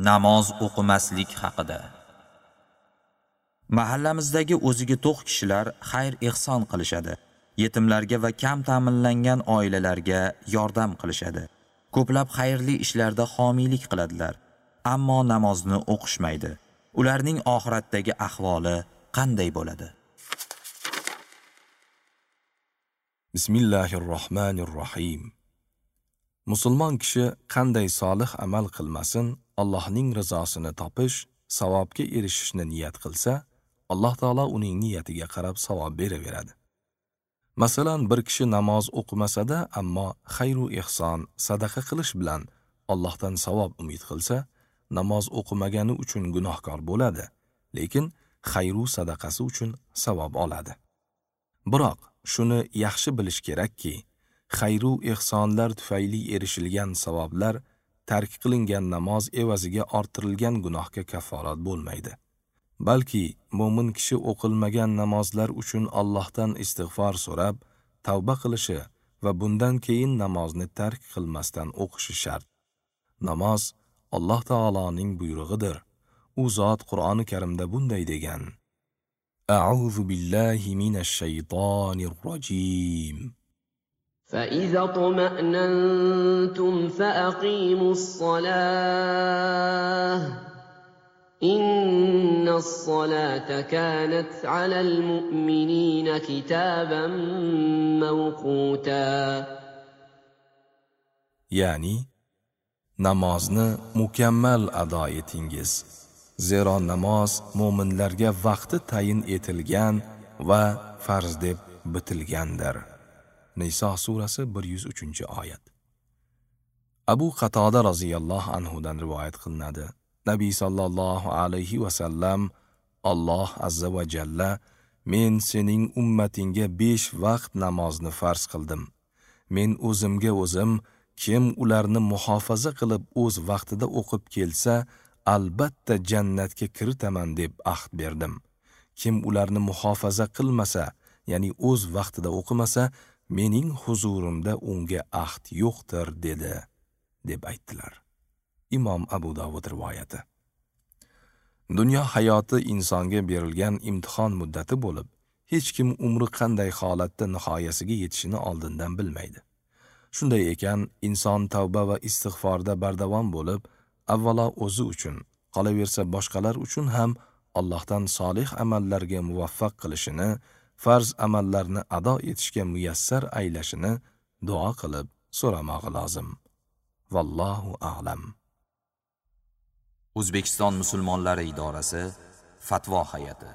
Namoz o'qimaslik haqida. Mahallamizdagi o'ziga to'q kishilar xayr-ehson qilishadi. Yetimlarga va kam ta'minlangan oilalarga yordam qilishadi. Ko'plab xayrli ishlarda homiylik qiladilar, ammo namozni o'qishmaydi. Ularning oxiratdagi ahvoli qanday bo'ladi? Bismillahirrohmanirrohim. Musulmon kishi qanday solih amal qilmasin, Allohning rizosini topish, savobga erishishni niyat qilsa, Alloh taolo uning niyatiga qarab savob beraveradi. Masalan, bir kishi namoz o'qimasa-da, ammo xayr-u ehson, sadaqa qilish bilan Allohdan savob umid qilsa, namoz o'qimagani uchun gunohkor bo'ladi, lekin xayr-u sadaqasi uchun savob oladi. Biroq shuni yaxshi bilish kerakki, xayr-u ehsonlar tufayli erishilgan savoblar tark qilingan namoz evaziga orttirilgan gunohga kafforat bo'lmaydi. Balki mo'min kishi o'qilmagan namozlar uchun Allohdan istig'for so'rab, tavba qilishi va bundan keyin namozni tark qilmasdan o'qishi shart. Namoz Alloh taoloning buyrug'idir. U zot Qur'oni Karimda bunday degan: A'udhu billahi minash shaytonir rojim. فَإِذَا اطْمَأْنَنْتُمْ فَأَقِيمُوا الصَّلَاةَ إِنَّ الصَّلَاةَ كَانَتْ عَلَى الْمُؤْمِنِينَ كِتَابًا مَّوْقُوتًا. Ya'ni namozni mukammal ado etingiz. Zero namoz mo'minlarga vaqti tayin etilgan va farz deb bitilgandir. Niso surasi 103-oyat. Abu Qatoda roziyallohu anhu dan rivoyat qilinadi. Nabiy sallallohu alayhi va sallam Alloh azza va jalla men sening ummatingga 5 vaqt namozni farz qildim. Men o'zimga o'zim kim ularni muhofaza qilib o'z vaqtida o'qib kelsa, albatta jannatga kiritaman deb ahd berdim. Kim ularni muhofaza qilmasa, ya'ni o'z vaqtida o'qimasa, mening huzurimda unga ahd yo'qdir dedi, deb aytdilar. Imom Abu Dovud rivoyati. Dunyo hayoti insonga berilgan imtihon muddati bo'lib, hech kim umri qanday holatda nihoyasiga yetishini oldindan bilmaydi. Shunday ekan, inson tavba va istig'forda bardavom bo'lib, avvalo o'zi uchun, qolaversa boshqalar uchun ham Allohdan solih amallarga muvaffaq qilishini, farz amallarni ado etishga muyassar aylashini duo qilib so'ramog'i lozim. Vallohu a'lam. O'zbekiston musulmonlari idorasi Fatvo hay'ati.